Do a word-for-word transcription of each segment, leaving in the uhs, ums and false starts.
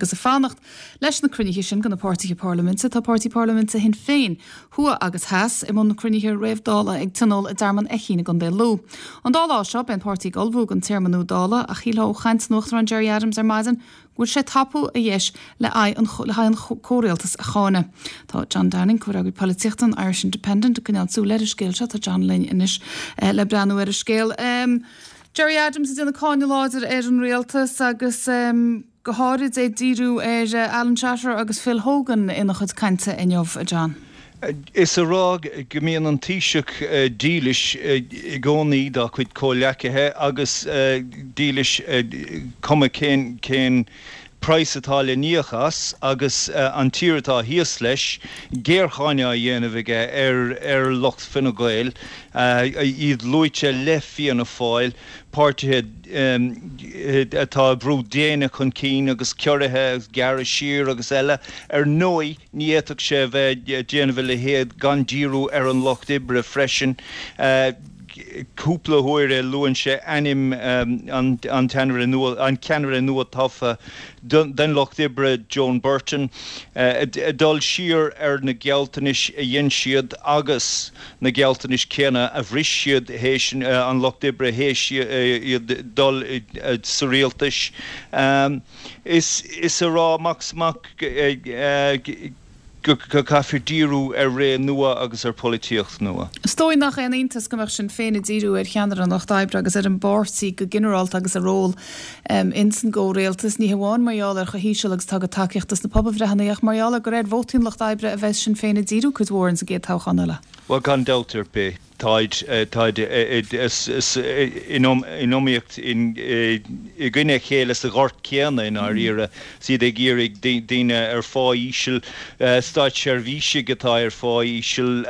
Agus ag fanacht leis na cruinnithe sin do na páirtithe parlaiminte tá páirtí parlaiminte Shinn Féin thuaidh agus theas i mbun na cruinnithe réamh-Dála ag tionól i dTearmann Fheichín i gContae Lú. An dá lá seo beidh an páirtí ag ullmhú don téarma nua Dála ach shílfeá ó chaint an Uachtaráin Gerry Adams ar maidin go bhfuil sé ag tapú a dheis le haghaidh an le haghaidh an comhrialtas a cháineadh. Tá John Downing comhfhreagraí polaitíochta an Irish Independent ag coinneáil súil ar an scéal seo tá John linn anois eh, le breathnú ar an scéal. Um, Gerry Adams ag déanamh cáineadh láidir ar an rialtas agus um, go háirid é díriú ar uh, Alan Shatter agus Phil Hogan ina chuid cainte inniu a John. Is a rá go mbíonn an Taoiseach dílis i gcónaí dá chuid comhghleacaithe agus dílis cuma cén cén praghas atá le n-íoc as agus an tír atá thíos leis géarcháineadh á dhéanamh aige ar ar lucht Fine Gael iad luaite le Fianna Fáil, páirtithe atá brú déine chun cinn agus ciorruithe agus gearradh siar agus eile. Ar ndóigh ní fhéadfadh sé bheith déanamh a leithéid gan díriú ar an lucht oibre freisin. Cúpla huair luann sé ainm an an ceannaire nua tofa den lucht oibre Joan Burton, dul siar ar na gealltanais a dhein siad agus na gealltanais céanna a bhris siad théis an lucht oibre théis iad dul sa rialtas. Is is a rá amach is amach go gcaithfear díriú ar ré nua agus ar pholaitíocht nua. Is dóigh nach aon iontas go mbeadh Sinn Féin ag díriú ar cheannaire an Lucht Oibre agus ar an bpáirtí go ginearálta agus a ról um, ins an gcomhrialtas ní hamháin mar gheall ar chomh híseal agus atá a dtacaíocht sna pobalbhreitheanna ach mar gheall ar gur ar vótaí an Lucht Oibre a bheas Sinn Féin ag díriú cuid mhór ins an gcéad toghchán eile. Well gan dabht ar bith. Táid táid in iomaíocht i gcoinne a chéile sa ghort céanna i ndáiríre, is iad ag iarraidh daoine ar phá íseal, státseirbhísigh atá ar phá íseal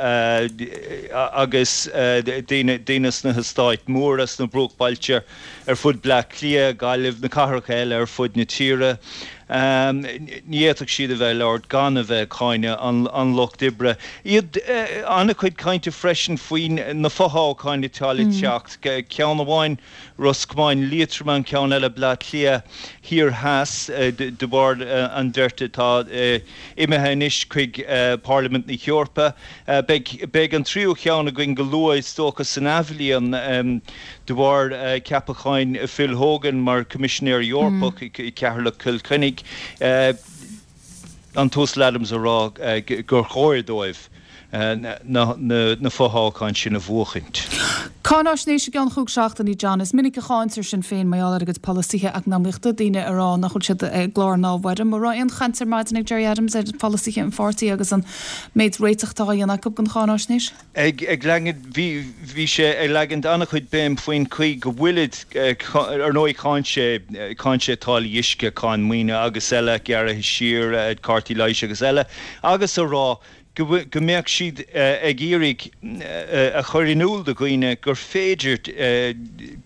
agus daoine daoine sna heastáit mhóra sna bruachbailte ar fud Bleá Cliath, Gaillimh, na cathracha eile ar fud na tíre. Ní fhéadfadh siad a bheith ag labhairt gan a bheith ag cáineadh an lucht oibre. Iad an-chuid cainte freisin faoi na fothoghcháin atá le teacht, ceann amháin Ros Comáin Liatroim, an ceann eile Bleá Cliath Thiar Theas de bharr an bheirt atá imithe anois chuig Parlaimint na hEorpa. Beidh an tríú cheann againn go luath is dócha san athbhliain de bharr ceapacháin Phil Hogan mar Choimisinéir Eorpach i Ceatharlach Cill Chainnigh. An tUasal Adams a rá gur chóir dóibh na fothoghcháin sin a bhuachaint. Cáinaisnéis i gceann chúig seachtainí John, is minic a cháintear Sinn Féin mar gheall ar a gcuid polasaithe eacnamaíochta, daoine ag rá nach bhfuil siad i gclár ná i bhfoirm. An raibh aon chaint ar maidin ag Gerry Adams ar pholasaithe an pháirtí agus an méid réiteach atá á dhéanamh acu don cháinaisnéis? Ag ag leagan bhí bhí sé ag leagaint an-chuid béim faoin chaoi go bhfuilid ar ndóigh cháin sé cháin sé táillí uisce, cáin maoine agus eile, gearraithe siar, cártaí leighis agus eile agus a rá go go mbeadh siad ag iarraidh a chur in iúl do dhaoine gur féidir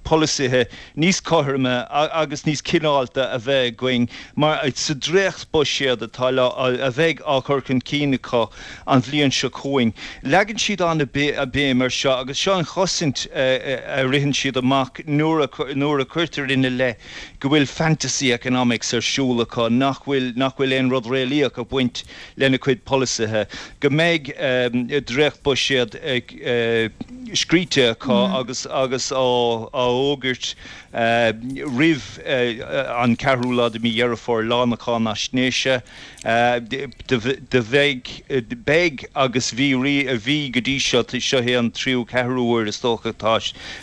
polasaithe níos cothroime agus níos cineálta a bheith againn mar sa dréachtbhuiséad atá a bheidh á chur chun cinn acu an bhliain seo chugainn. Leagann siad an-bhéim air seo agus seo an chosaint a ritheann siad amach nuair a nuair a cuirtear ina leith go bhfuil fantasy economics ar siúl acu, nach bhfuil nach bhfuil aon rud réalaíoch ag baint lena cuid polasaithe, go mbeidh dréachtbhuiséad scríte acu agus agus á fhógairt roimh an ceathrú lá de mhí Dheireadh Fómhair, lá na cáinaisnéise. Do bheidh, beidh agus bhí bhí go dtí seo, seo é an tríú ceathrú huair is dócha atá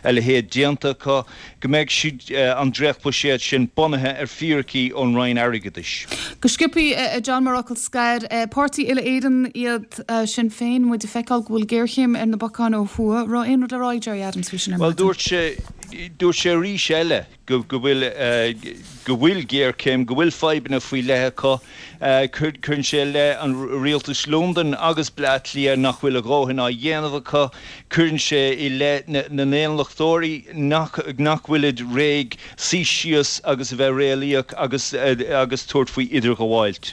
a leithéid déanta acu, go mbeidh siad, an dréachtbhuiséad sin bunaithe ar fíricí ón Roinn Airgeadais. Go sciobtha, a John, mar fhocal scoir, páirtí uile-Éireann iad Sinn Féin, muid ag feiceáil go bhfuil géarchéim ar na bacáin ó thuaidh. Raibh aon rud le rá ag Gerry Adams faoi sin ar Bhuel, maidin? dúirt sé, dúirt sé arís eile go go bhfuil, go bhfuil géarchéim, go bhfuil fadhbanna faoi leith acu. Cuireann sé i leith an rialtais Londain agus Bleá Cliath nach bhfuil a dhóthain á dhéanamh acu. Cuireann sé i leith na n-aonlachtóirí nach nach bhfuilid réidh suí síos agus a bheith réalaíoch agus agus tabhairt faoi idirghabháilt.